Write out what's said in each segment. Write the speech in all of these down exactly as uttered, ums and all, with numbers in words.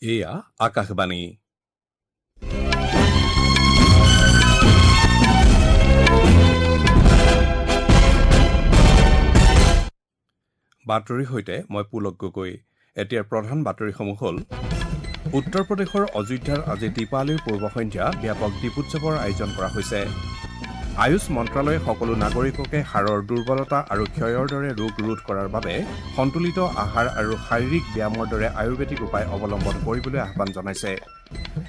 এয়া আকাশবাণী। বাতৰিৰ সৈতে মই পুলক গগৈ। এতিয়াৰ প্ৰধান বাতৰিসমূহ হ'ল: উত্তৰ প্ৰদেশৰ অযোধ্যাত আজি দীপাৱলীৰ পূৰ্ব সন্ধ্যা ব্যাপক দীপোৎসৱৰ আয়োজন কৰা হৈছে। আয়ুষ মন্ত্ৰালয়ে সকলো নাগৰিককে হাড়ৰ দুৰ্বলতা আৰু ক্ষয়ৰ দৰে ৰোগ ৰোধ কৰাৰ বাবে সন্তুলিত আহাৰ আৰু শাৰীৰিক ব্যায়ামৰ দৰে আয়ুৰ্বেদিক উপায় অৱলম্বন কৰিবলৈ আহ্বান জনাইছে।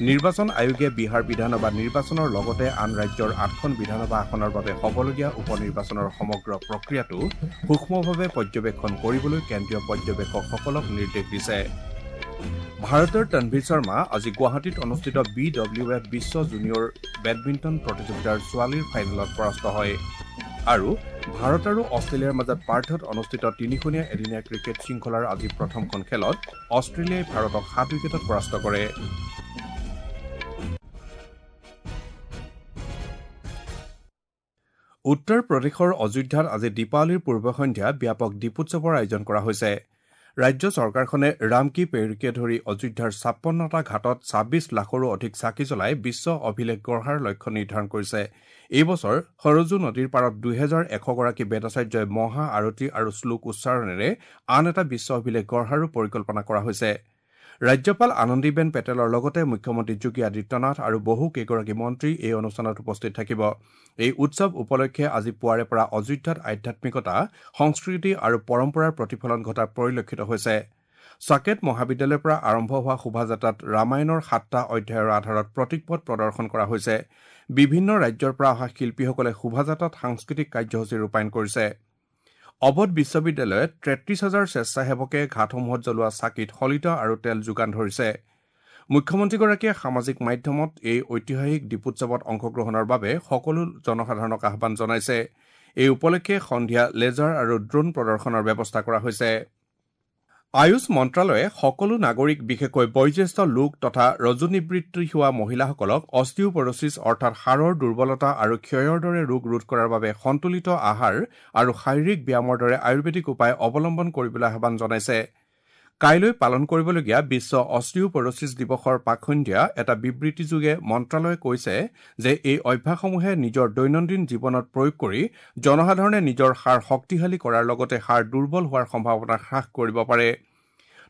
নিৰ্বাচন আয়োগে বিহাৰ বিধানসভা নিৰ্বাচনৰ লগতে আন ৰাজ্যৰ আঠখন বিধানসভা আসনৰ বাবে হ'বলগীয়া উপ নিৰ্বাচনৰ সমগ্ৰ প্ৰক্ৰিয়াটো সূক্ষ্মভাৱে পৰ্যবেক্ষণ কৰিবলৈ কেন্দ্ৰীয় পৰ্যবেক্ষকসকলক নিৰ্দেশ দিছে। ভাৰতৰ তনভীৰ শৰ্মা আজি গুৱাহাটীত অনুষ্ঠিত বি ডব্লিউ এফ বিশ্ব জুনিয়ৰ বেডমিণ্টন প্ৰতিযোগিতাৰ ছোৱালীৰ ফাইনেলত পৰাস্ত হয়। আৰু ভাৰত আৰু অষ্ট্ৰেলিয়াৰ মাজত পাৰ্থত অনুষ্ঠিত তিনিখনীয়া এদিনীয়া ক্ৰিকেট শৃংখলাৰ আজি প্ৰথমখন খেলত অষ্ট্ৰেলিয়াই ভাৰতক সাত উইকেটত পৰাস্ত কৰে। উত্তৰ প্ৰদেশৰ অযোধ্যাত আজি দীপাৱলীৰ পূৰ্ব সন্ধ্যা ব্যাপক দীপোৎসৱৰ আয়োজন কৰা হৈছে। ৰাজ্য চৰকাৰখনে ৰামকী পেৰীকে ধৰি অযোধ্যাৰ ছাপন্নটা ঘাটত ছাব্বিছ লাখৰো অধিক চাকি জ্বলাই বিশ্ব অভিলেখ গঢ়াৰ লক্ষ্য নিৰ্ধাৰণ কৰিছে। এই বছৰ সৰজু নদীৰ পাৰত দুহেজাৰ এশগৰাকী বেদাচাৰ্যই মহা আৰতি আৰু শ্লোক উচ্চাৰণেৰে আন এটা বিশ্ব অভিলেখ গঢ়াৰো পৰিকল্পনা কৰা হৈছে। ৰাজ্যপাল আনন্দীবেন পেটেলৰ লগতে মুখ্যমন্ত্ৰী যোগী আদিত্যনাথ আৰু বহু কেইগৰাকী মন্ত্ৰী এই অনুষ্ঠানত উপস্থিত থাকিব। এই উৎসৱ উপলক্ষে আজি পুৱাৰে পৰা অযোধ্যাত আধ্যাত্মিকতা, সংস্কৃতি আৰু পৰম্পৰাৰ প্ৰতিফলন ঘটা পৰিলক্ষিত হৈছে। চাকেত মহাবিদ্যালয়ৰ পৰা আৰম্ভ হোৱা শোভাযাত্ৰাত ৰামায়ণৰ সাতটা অধ্যায়ৰ আধাৰত প্ৰতীকপট প্ৰদৰ্শন কৰা হৈছে। বিভিন্ন ৰাজ্যৰ পৰা অহা শিল্পীসকলে শোভাযাত্ৰাত সাংস্কৃতিক কাৰ্যসূচী ৰূপায়ণ কৰিছে। অৱধ বিশ্ববিদ্যালয়ত তেত্ৰিশ হাজাৰ স্বেচ্ছাসেৱকে ঘাটসমূহত জ্বলোৱা চাকিত শলিতা আৰু তেল যোগান ধৰিছে। মুখ্যমন্ত্ৰীগৰাকীয়ে সামাজিক মাধ্যমত এই ঐতিহাসিক দীপোৎসৱত অংশগ্ৰহণৰ বাবে সকলো জনসাধাৰণক আহ্বান জনাইছে। এই উপলক্ষে সন্ধিয়া লেজাৰ আৰু ড্ৰোন প্ৰদৰ্শনৰ ব্যৱস্থা কৰা হৈছে। আয়ুষ মন্ত্ৰালয়ে সকলো নাগৰিক, বিশেষকৈ বয়োজ্যেষ্ঠ লোক তথা ৰজোনিবৃত্তি হোৱা মহিলাসকলক অষ্টিওপৰচিছ অৰ্থাৎ হাড়ৰ দুৰ্বলতা আৰু ক্ষয়ৰ দৰে ৰোগ ৰোধ কৰাৰ বাবে সন্তুলিত আহাৰ আৰু শাৰীৰিক ব্যায়ামৰ দৰে আয়ুৰ্বেদিক উপায় অৱলম্বন কৰিবলৈ আহ্বান জনাইছে। কাইলৈ পালন কৰিবলগীয়া বিশ্ব অষ্টিওপৰচিছ দিৱসৰ প্ৰাকসন্ধ্যা এটা বিবৃতিযোগে মন্ত্ৰালয়ে কৈছে যে এই অভ্যাসসমূহে নিজৰ দৈনন্দিন জীৱনত প্ৰয়োগ কৰি জনসাধাৰণে নিজৰ হাড় শক্তিশালী কৰাৰ লগতে হাড় দুৰ্বল হোৱাৰ সম্ভাৱনা হ্ৰাস কৰিব পাৰে।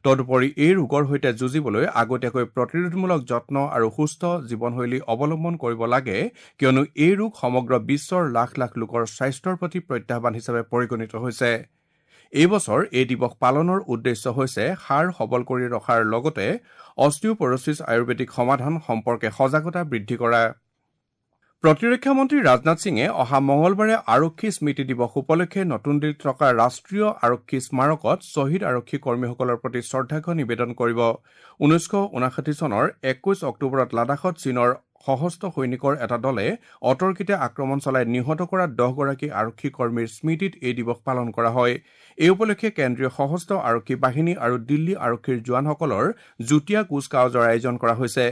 তদুপৰি এই ৰোগৰ সৈতে যুঁজিবলৈ আগতীয়াকৈ প্ৰতিৰোধমূলক যত্ন আৰু সুস্থ জীৱনশৈলী অৱলম্বন কৰিব লাগে, কিয়নো এই ৰোগ সমগ্ৰ বিশ্বৰ লাখ লাখ লোকৰ স্বাস্থ্যৰ প্ৰতি প্ৰত্যাহ্বান হিচাপে পৰিগণিত হৈছে। এই বছৰ এই দিৱস পালনৰ উদ্দেশ্য হৈছে হাড় সবল কৰি ৰখাৰ লগতে অষ্টিওপৰচিছ আয়ুৰ্বেদিক সমাধান সম্পৰ্কে সজাগতা বৃদ্ধি কৰা। প্ৰতিৰক্ষা মন্ত্ৰী ৰাজনাথ সিঙে অহা মঙলবাৰে আৰক্ষী স্মৃতি দিৱস উপলক্ষে নতুন দিল্লীত থকা ৰাষ্ট্ৰীয় আৰক্ষী স্মাৰকত শ্বহীদ আৰক্ষী কৰ্মীসকলৰ প্ৰতি শ্ৰদ্ধাৰ্ঘ্য নিবেদন কৰিব। ঊনৈছশ ঊনাষাঠি চনৰ একৈশ অক্টোবৰত লাডাখত চীনৰ সশস্ত্ৰ সৈনিকৰ এটা দলে অতৰ্কিতে আক্ৰমণ চলাই নিহত কৰা দহগৰাকী আৰক্ষী কৰ্মীৰ স্মৃতিত এই দিৱস পালন কৰা হয়। এই উপলক্ষে কেন্দ্ৰীয় সশস্ত্ৰ আৰক্ষী বাহিনী আৰু দিল্লী আৰক্ষীৰ জোৱানসকলৰ যুটীয়া কুচকাৱাজৰ আয়োজন কৰা হৈছে।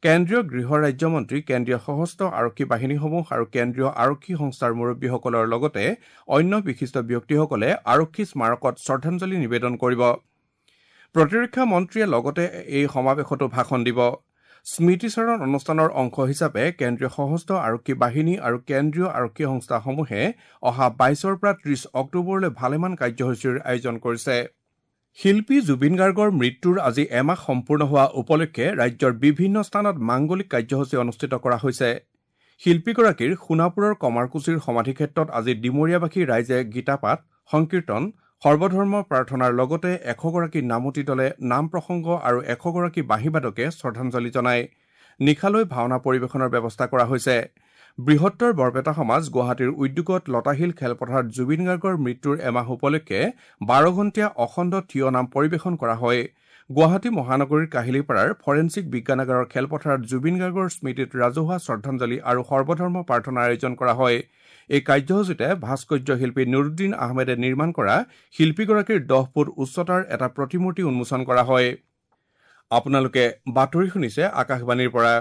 কেন্দ্ৰীয় গৃহ ৰাজ্যমন্ত্ৰী, কেন্দ্ৰীয় সশস্ত্ৰ আৰক্ষী বাহিনীসমূহ আৰু কেন্দ্ৰীয় আৰক্ষী সংস্থাৰ মুৰব্বীসকলৰ লগতে অন্য বিশিষ্ট ব্যক্তিসকলে আৰক্ষী স্মাৰকত শ্ৰদ্ধাঞ্জলি নিবেদন কৰিব। প্ৰতিৰক্ষা মন্ত্ৰীয়ে লগতে এই সমাৱেশতো ভাষণ দিব। স্মৃতিচাৰণ অনুষ্ঠানৰ অংশ হিচাপে কেন্দ্ৰীয় সশস্ত্ৰ আৰক্ষী বাহিনী আৰু কেন্দ্ৰীয় আৰক্ষী সংস্থাসমূহে অহা বাইছৰ পৰা ত্ৰিশ অক্টোবৰলৈ ভালেমান কাৰ্যসূচীৰ আয়োজন কৰিছে। শিল্পী জুবিন গাৰ্গৰ মৃত্যুৰ আজি এমাহ সম্পূৰ্ণ হোৱা উপলক্ষে ৰাজ্যৰ বিভিন্ন স্থানত মাংগলিক কাৰ্যসূচী অনুষ্ঠিত কৰা হৈছে। শিল্পীগৰাকীৰ সোণাপুৰৰ কমাৰকুছিৰ সমাধিক্ষেত্ৰত আজি ডিমৰীয়াবাসী ৰাইজে গীতাপাঠ, সংকীৰ্তন, সৰ্বধৰ্ম প্ৰাৰ্থনাৰ লগতে এশগৰাকী নামতী দলে নাম প্ৰসংগ আৰু এশগৰাকী বাঁহীবাদকে শ্ৰদ্ধাঞ্জলি জনায়। নিশালৈ ভাওনা পৰিৱেশনৰ ব্যৱস্থা কৰা হৈছে। বৃহত্তৰ বৰপেটা সমাজ গুৱাহাটীৰ উদ্যোগত লতাশিল খেলপথাৰত জুবিন গাৰ্গৰ মৃত্যুৰ এমাহ উপলক্ষে বাৰ ঘণ্টীয়া অখণ্ড থিয় নাম পৰিৱেশন কৰা হয়। গুৱাহাটী মহানগৰীৰ কাহিলীপাৰাৰ ফৰেনছিক বিজ্ঞানাগাৰৰ খেলপথাৰত জুবিন গাৰ্গৰ স্মৃতিত ৰাজহুৱা শ্ৰদ্ধাঞ্জলি আৰু সৰ্বধৰ্ম প্ৰাৰ্থনাৰ আয়োজন কৰা হয়। এই কাৰ্যসূচীতে ভাস্কৰ্য শিল্পী নুৰুদ্দিন আহমেদে নিৰ্মাণ কৰা শিল্পীগৰাকীৰ দহ ফুট উচ্চতাৰ এটা প্ৰতিমূৰ্তি উন্মোচন কৰা হয়। আপোনালোকে বাতৰি শুনিছে আকাশবাণীৰ পৰা।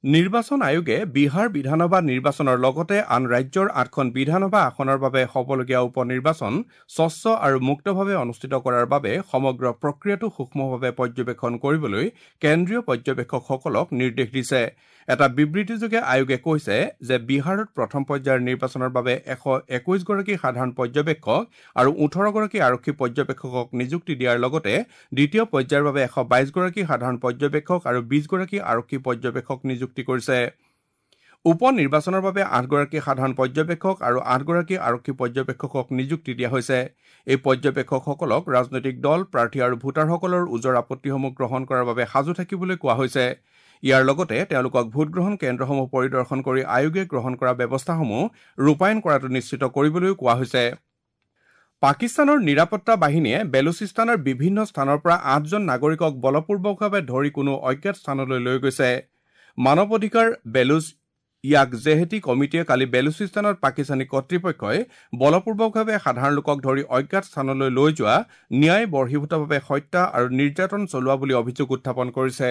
নিৰ্বাচন আয়োগে বিহাৰ বিধানসভা নিৰ্বাচনৰ লগতে আন ৰাজ্যৰ আঠখন বিধানসভা আসনৰ বাবে হ'বলগীয়া উপ নিৰ্বাচন স্বচ্ছ আৰু মুক্তভাৱে অনুষ্ঠিত কৰাৰ বাবে সমগ্ৰ প্ৰক্ৰিয়াটো সূক্ষ্মভাৱে পৰ্যবেক্ষণ কৰিবলৈ কেন্দ্ৰীয় পৰ্যবেক্ষকসকলক নিৰ্দেশ দিছে। এটা বিবৃতিযোগে আয়োগে কৈছে যে বিহাৰত প্ৰথম পৰ্যায়ৰ নিৰ্বাচনৰ বাবে এশ একৈশগৰাকী সাধাৰণ পৰ্যবেক্ষক আৰু ওঠৰগৰাকী আৰক্ষী পৰ্যবেক্ষকক নিযুক্তি দিয়াৰ লগতে দ্বিতীয় পৰ্যায়ৰ বাবে এশ বাইশগৰাকী সাধাৰণ পৰ্যবেক্ষক আৰু বিশগৰাকী আৰক্ষী পৰ্যবেক্ষক নিযুক্তি কৰিছে। উপ নিৰ্বাচনৰ বাবে আঠগৰাকী সাধাৰণ পৰ্যবেক্ষক আৰু আঠগৰাকী আৰক্ষী পৰ্যবেক্ষকক নিযুক্তি দিয়া হৈছে। এই পৰ্যবেক্ষকসকলক ৰাজনৈতিক দল, প্ৰাৰ্থী আৰু ভোটাৰসকলৰ ওজৰ আপত্তিসমূহ গ্ৰহণ কৰাৰ বাবে সাজু থাকিবলৈ কোৱা হৈছে। ইয়াৰ লগতে তেওঁলোকক ভোটগ্ৰহণ কেন্দ্ৰসমূহ পৰিদৰ্শন কৰি আয়োগে গ্ৰহণ কৰা ব্যৱস্থাসমূহ ৰূপায়ণ কৰাটো নিশ্চিত কৰিবলৈও কোৱা হৈছে। পাকিস্তানৰ নিৰাপত্তা বাহিনীয়ে বেলুচিস্তানৰ বিভিন্ন স্থানৰ পৰা আঠজন নাগৰিকক বলপূৰ্বকভাৱে ধৰি কোনো অজ্ঞাত স্থানলৈ লৈ গৈছে। মানৱ অধিকাৰ বেলুচ ইয়াক জেহেতি কমিটিয়ে কালি বেলুচিস্তানত পাকিস্তানী কৰ্তৃপক্ষই বলপূৰ্বকভাৱে সাধাৰণ লোকক ধৰি অজ্ঞাত স্থানলৈ লৈ যোৱা, ন্যায় বৰ্হিভূতভাৱে হত্যা আৰু নিৰ্যাতন চলোৱা বুলি অভিযোগ উত্থাপন কৰিছে।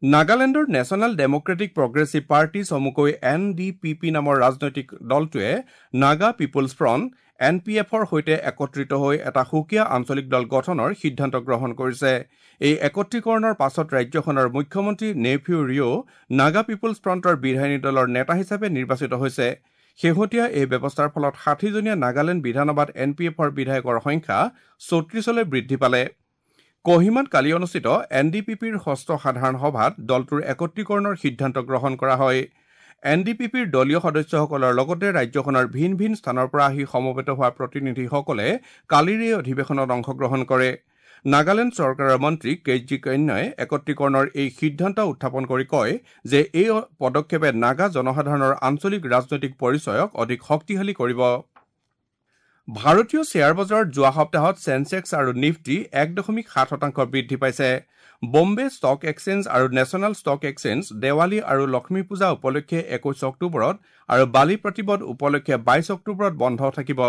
নাগালেণ্ডৰ নেশ্যনেল ডেমক্ৰেটিক প্ৰগ্ৰেছিভ পাৰ্টি চমুকৈ এন ডি পি পি নামৰ ৰাজনৈতিক দলটোৱে Naga People's Front N P এফৰ সৈতে একত্ৰিত হৈ এটা সুকীয়া আঞ্চলিক দল গঠনৰ সিদ্ধান্ত গ্ৰহণ কৰিছে। এই একত্ৰীকৰণৰ পাছত ৰাজ্যখনৰ মুখ্যমন্ত্ৰী নেইফিউ ৰিঅ' নাগা পিপুলছ ফ্ৰণ্টৰ বিধায়িনী দলৰ নেতা হিচাপে নিৰ্বাচিত হৈছে। শেহতীয়া এই ব্যৱস্থাৰ ফলত ষাঠিজনীয়া নাগালেণ্ড বিধানসভাত এন পি এফৰ বিধায়কৰ সংখ্যা চৌত্ৰিশলৈ বৃদ্ধি পালে। কহিমাত কালি অনুষ্ঠিত এন ডি পি পিৰ ষষ্ঠ সাধাৰণ সভাত দলটোৰ একত্ৰীকৰণৰ সিদ্ধান্ত গ্ৰহণ কৰা হয়। এন ডি পি পিৰ দলীয় সদস্যসকলৰ লগতে ৰাজ্যখনৰ ভিন ভিন স্থানৰ পৰা আহি সমবেত হোৱা প্ৰতিনিধিসকলে কালিৰ এই অধিৱেশনত অংশগ্ৰহণ কৰে। নাগালেণ্ড চৰকাৰৰ মন্ত্ৰী কে জি কন্যাই একত্ৰীকৰণৰ এই সিদ্ধান্ত উত্থাপন কৰি কয় যে এই পদক্ষেপে নাগা জনসাধাৰণৰ আঞ্চলিক ৰাজনৈতিক পৰিচয়ক অধিক শক্তিশালী কৰিব। ভাৰতীয় শ্বেয়াৰ বজাৰত যোৱা সপ্তাহত চেনচেক্স আৰু নিফটি এক দশমিক সাত শতাংশ বৃদ্ধি পাইছে। বম্বে ষ্টক এক্সচেঞ্জ আৰু নেশ্যনেল ষ্টক এক্সচেঞ্জ দেৱালী আৰু লক্ষ্মী পূজা উপলক্ষে একৈশ অক্টোবৰত আৰু বালি প্ৰতিপদ উপলক্ষে বাইশ অক্টোবৰত বন্ধ থাকিব।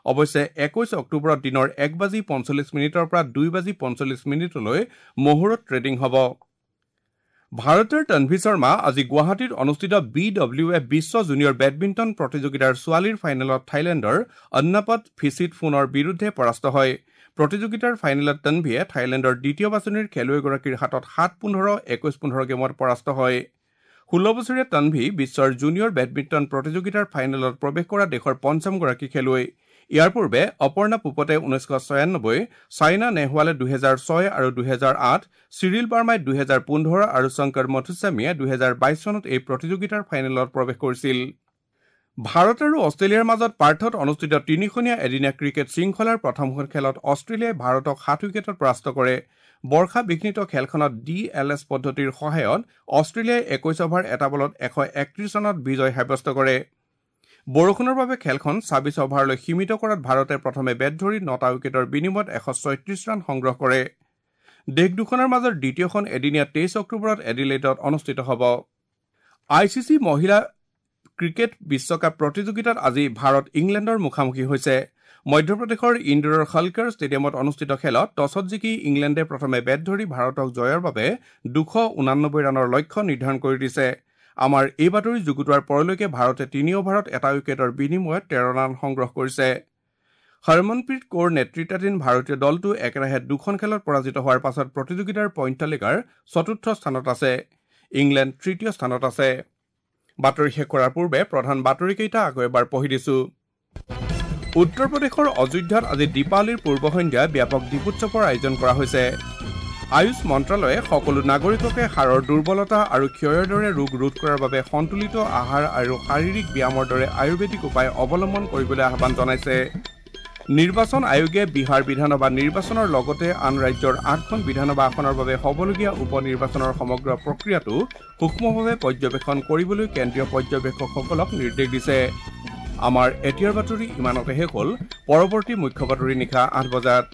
অৱশ্যে একৈশ অক্টোবৰত দিনৰ এক বাজি পঞ্চল্লিছ মিনিটৰ পৰা দুই বাজি পঞ্চল্লিছ মিনিটলৈ মহুৰত ট্ৰেডিং হ'ব। ভাৰতৰ তনভি শৰ্মা আজি গুৱাহাটীত অনুষ্ঠিত বি ডব্লিউ এফ বিশ্ব জুনিয়ৰ বেডমিণ্টন প্ৰতিযোগিতাৰ ছোৱালীৰ ফাইনেলত থাইলেণ্ডৰ অন্নাপত ফিচিটফোনৰ বিৰুদ্ধে পৰাস্ত হয়। প্ৰতিযোগিতাৰ ফাইনেলত তনভিয়ে থাইলেণ্ডৰ দ্বিতীয় বাছনিৰ খেলুৱৈগৰাকীৰ হাতত সাত পোন্ধৰ একৈশ পোন্ধৰ গেমত পৰাস্ত হয়। ষোল্ল বছৰীয়া তনভি বিশ্বৰ জুনিয়ৰ বেডমিণ্টন প্ৰতিযোগিতাৰ ফাইনেলত প্ৰৱেশ কৰা দেশৰ পঞ্চমগৰাকী খেলুৱৈ। ইয়াৰ পূৰ্বে অপৰ্ণা পোপতে ঊনৈছশ ছয়ানব্বৈ, ছাইনা নেহৱালে দুহেজাৰ ছয় আৰু দুহেজাৰ আঠ, চিৰিল বাৰ্মাই দুহেজাৰ পোন্ধৰ আৰু শংকৰ মথুস্বামীয়ে দুহেজাৰ বাইশ চনত এই প্ৰতিযোগিতাৰ ফাইনেলত প্ৰৱেশ কৰিছিল। ভাৰত আৰু অষ্ট্ৰেলিয়াৰ মাজত পাৰ্থত অনুষ্ঠিত তিনিখনীয়া এদিনীয়া ক্ৰিকেট শৃংখলাৰ প্ৰথমখন খেলত অষ্ট্ৰেলিয়াই ভাৰতক সাত উইকেটত পৰাস্ত কৰে। বৰ্ষা বিঘ্নিত খেলখনত ডি এল এছ পদ্ধতিৰ সহায়ত অষ্ট্ৰেলিয়াই একৈশ অভাৰ এটা বলত এশ একত্ৰিশ ৰানত বিজয় সাব্যস্ত কৰে। বৰষুণৰ বাবে খেলখন ছাব্বিছ অভাৰলৈ সীমিত কৰাত ভাৰতে প্ৰথমে বেট ধৰি নটা উইকেটৰ বিনিময়ত এশ ছয়ত্ৰিশ ৰান সংগ্ৰহ কৰে। দেশ দুখনৰ মাজৰ দ্বিতীয়খন এদিনীয়া তেইছ অক্টোবৰত এডিলেডত অনুষ্ঠিত হ'ব। I C C মহিলা ক্ৰিকেট বিশ্বকাপ প্ৰতিযোগিতাত আজি ভাৰত ইংলেণ্ডৰ মুখামুখি হৈছে। মধ্যপ্ৰদেশৰ ইন্দোৰৰ হলকাৰ ষ্টেডিয়ামত অনুষ্ঠিত খেলত টছত জিকি ইংলেণ্ডে প্ৰথমে বেট ধৰি ভাৰতক জয়ৰ বাবে দুশ ঊনানব্বৈ ৰানৰ লক্ষ্য নিৰ্ধাৰণ কৰি দিছে। আমাৰ এই বাতৰি যুগুতোৱাৰ পৰলৈকে ভাৰতে তিনি অভাৰত এটা উইকেটৰ বিনিময়ত তেৰ ৰান সংগ্ৰহ কৰিছে। হৰমনপ্ৰীত কৌৰ নেতৃত্বাধীন ভাৰতীয় দলটো একেৰাহে দুখন খেলত পৰাজিত হোৱাৰ পাছত প্ৰতিযোগিতাৰ পইণ্ট তালিকাৰ চতুৰ্থ স্থানত আছে। ইংলেণ্ড তৃতীয় স্থানত আছে। বাতৰি শেষ কৰাৰ পূৰ্বে প্ৰধান বাতৰিকেইটা আকৌ এবাৰ পঢ়ি দিছো। উত্তৰ প্ৰদেশৰ অযোধ্যাত আজি দীপাৱলীৰ পূৰ্বসন্ধ্যা ব্যাপক দীপোৎসৱৰ আয়োজন কৰা হৈছে। আয়ুষ মন্ত্ৰালয়ে সকলো নাগৰিককে হাড়ৰ দুৰ্বলতা আৰু ক্ষয়ৰ দৰে ৰোগ ৰোধ কৰাৰ বাবে সন্তুলিত আহাৰ আৰু শাৰীৰিক ব্যায়ামৰ দৰে আয়ুৰ্বেদিক উপায় অৱলম্বন কৰিবলৈ আহ্বান জনাইছে। নিৰ্বাচন আয়োগে বিহাৰ বিধানসভা নিৰ্বাচনৰ লগতে আন ৰাজ্যৰ আঠখন বিধানসভা আসনৰ বাবে হ'বলগীয়া উপ নিৰ্বাচনৰ সমগ্ৰ প্ৰক্ৰিয়াটো সূক্ষ্মভাৱে পৰ্যবেক্ষণ কৰিবলৈ কেন্দ্ৰীয় পৰ্যবেক্ষকসকলক নিৰ্দেশ দিছে। আমাৰ এতিয়াৰ বাতৰি ইমানতে শেষ হ'ল। পৰৱৰ্তী মুখ্য বাতৰি নিশা আঠ বজাত।